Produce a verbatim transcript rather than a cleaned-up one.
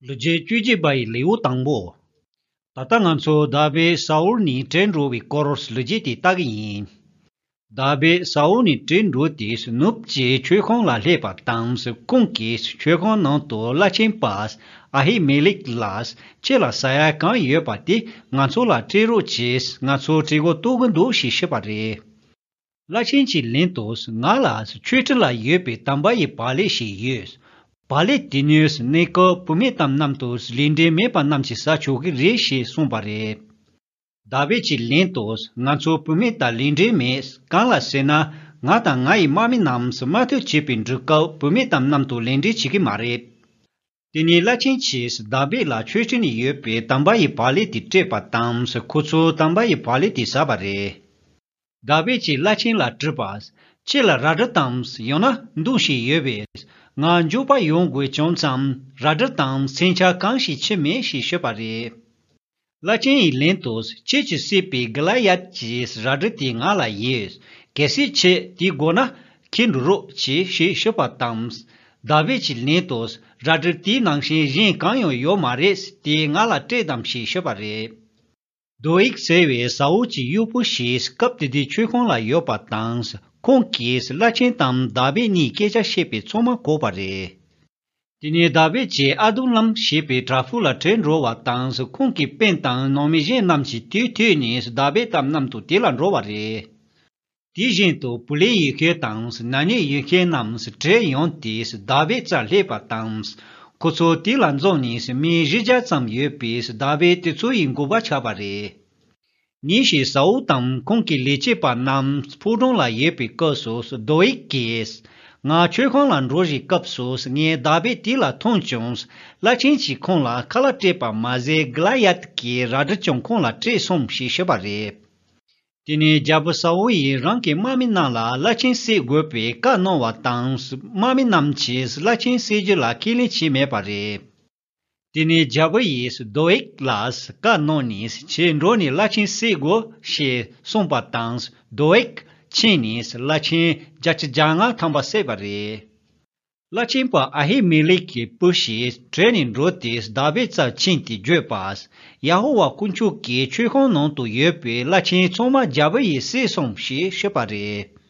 ལོ་རྒྱུས་བཅུ་གཅིག་པ་ཡི་ལེའུ་དང་པོ། ད་ལྟ་ང་ཚོ་དཱ་བིད་ས་ཨུལ་ནས་བྲོས་འགྲོ་བའི་སྐོར་ལོ་རྒྱུས་དེ་ལྟ་གི་ཡིན། དཱ་བིད་ས་ཨུལ་ནས་བྲོས་འགྲོ་དུས་ནུབ་ཀྱི་མཆོད་ཁང་ལ་སླེབས་པ་དང་། ཁོང་གིས་མཆོད་ཁང་ནང་དུ་བླ་ཆེན་པ་ཨ་ཧི་མེ་ལེག་ལ། ཁྱེད་ལ་ཟ་ཡ་གང་ཡོད་པ་དེ་ང་ཚོ་ལ་སྤྲད་རོགས་གྱིས། ང་ཚོ་བྲོས་འགྲོ་ལྟོགས་ཀྱི་འདུག་ཞེས་ཞུས་པ་རེད། བླ་ཆེན་གྱིས་ལན་དུ། ང་ལ་མཆོད་ཁྲི་ལ་ཡོད་པའི་དམ་པ་ཡི་བག་ལེབ་ཞིག་ཡོད། བག་ལེབ་དེ་ནི་གནས་སྐབས་བུད་མེད་དང་མཉམ་དུ་ལས་འབྲེལ་མེད་པ་རྣམས་ཀྱིས་ཟ་ཆོག་གི་རེད་ཞེས་གསུངས་པ་རེད། དཱ་བིད་ཀྱིས་ལན་དུ། ང་ཚོ་བུད་མེད་དང་ལས་འབྲེལ་མེད། གང་ལ་ཟེར་ན། ང་དང་ང་ཡི་དམག་མི་རྣམས་དམག་འཐབ་བྱེད་པའི་འགྲུལ་སྐབས་བུད་མེད་དང་མཉམ་དུ་ལས་འབྲེལ་བྱེད་ཀྱི་མ་རེད། དེ་ནས་བླ་ཆེན་གྱིས་དཱ་བིད་ལ་མཆོད་ཁྲི་ནས་ཡོད་པའི་དམ་པ་ཡི་བག་ལེབ་དེ་སྤྲད་པ་དང་། ཁོ་ཚོས་དམ་པ་ཡི་བག་ལེབ་དེ་ཟ་བ་རེད། དཱ་བིད་ཀྱིས་བླ་ཆེན་ལ་དྲིས་པ། ཁྱེད་ལ་རལ་གྲི་དང་ཡང་ན་མདུང་ཞིག་ཡོད་པས། ང་མགྱོགས་པ་ཡོང་དགོས་བྱུང་ཙང་རལ་གྲི་དང་མཚོན་ཆ་གང་ཞིག་ཁྱེར་མེད་ཞེས་ཞུས་པ་རེད། བླ་ཆེན་ཡིས་ལན་དུ། ཁྱེད་ཀྱིས་བསད་པའི་གི་ལ་ཡད་ཀྱི་རལ་གྲི་དེ་ང་ལ་ཡོད། གལ་སྲིད་ཁྱེད་དེ་དགོས་ན་ཁྱེར་འགྲོ་རོགས་གྱིས་ཞེས་ཞུས་པ་དང་། དཱ་བིད་ཀྱིས་ལན་དུ། རལ་གྲི་དེའི་ནང་བཞིན་གཞན་གང་ཡང་ཡོད་མ་རེད། དེ་ང་ལ་སྤྲད་དང་ཞེས་ཞུས་པ་རེད། དོ་ཨིག་ཟེར་བའི་ས་ཨུལ་གྱི་གཡོག་པོ་ཞིག་སྐབས་དེ་དུས་མཆོད་ཁང་ལ་ཡོད་པ་དང་། ཁོང་གིས་བླ་ཆེན་དང་དཱ་བིད་གཉིས་སྐད་ཆ་བཤད་པའི་ཚོད་མ་གོ་བ་རེད། དེ་ནས་དཱ་བིད་ཀྱིས་ཨ་དུ་ལམ་ཞེས་པའི་བྲག་ཕུག་ལ་བྲོས་འགྲོ་བ་དང་། ཁོང་གི་སྤུན་དང་ནང་མི་གཞན་རྣམས་ཀྱིས་དེ་ཐོས་ནས་དཱ་བིད་དང་མཉམ་དུ་དེ་ལ་འགྲོ་བ་རེད། དེ་བཞིན་དུ་བུ་ལེ་ཡི་ཤོད་དང་ན་ནི་ཡི་ཤོད་རྣམས་བྲོས་ཡོང་སྟེ་དཱ་བིད་རྩར་སླེབས་པ་དང་། ཁོ་ཚོ་དེ་ལ་འཛོམས་ནས་མི་བཞི་བརྒྱ་ཙམ་ཡོད་པས་དཱ་བིད་དེ་ཚོ་ཡི་མགོ་པ་ཆགས་པ་རེད། ཉིན་ཞིག་ས་ཨུལ་དང་ཁོང་གི་ལས་བྱེད་པ་རྣམས་ཕོ་བྲང་ལ་ཡོད་པའི་སྐབས་སུ་དོ་ཨིག་གིས། ང་མཆོད་ཁང་ལ་འགྲོ་བཞིན་སྐབས་སུ་ངས་དཱ་བིད་དེ་ལ་མཐོང་བྱུང་། བླ་ཆེན་གྱིས་ཁོང་ལ་ཁ་ལག་སྤྲད་པ་མ་ཟད་གི་ལ་ཡད་ཀྱི་རལ་གྲི་ཀྱང་ཁོང་ལ་སྤྲད་སོང་ཞེས་ཞུས་པ་རེད། དེ་ནས་རྒྱལ་པོ་ས་ཨུལ་ཡིས་རང་གི་དམག་མི་རྣམས་ལ་བླ་ཆེན་བསད་དགོས་པའི་བཀའ་གནང་བ་དང་། དམག་མི་རྣམས་ཀྱིས་བླ་ཆེན་བསད་རྒྱུ་ལ་ཁས་ལེན་བྱས་མེད་པ་རེད། དེ་ནས་རྒྱལ་པོ་ཡིས་དོ་ཨིག་ལ་བཀའ་གནང་ནས་ཁྱེད་འགྲོ་ནས་བླ་ཆེན་བསད་དགོས་ཞེས་གསུངས་པ་དང་། དོ་ཨིག་ཕྱིན་ནས་བླ་ཆེན་བརྒྱ་ཆ་བརྒྱ་ལྔ་ཐམ་པ་བསད་པ་རེད། བླ་ཆེན་པ་ཨ་ཧི་མེ་ལེག་གི་བུ་ཞིག་བྲོས་ནས་འགྲོ་སྟེ་དཱ་བིད་རྩར་ཕྱིན་ཏེ་བརྗོད་པ། ཡ་ཧོ་ཝཱ་དཀོན་མཆོག་གི་མཆོད་ཁང་ནང་དུ་ཡོད་པའི་བླ་ཆེན་ཚང་མ་རྒྱལ་པོ་ཡིས་བསད་སོང་ཞེས་ཤོད་པ་རེད།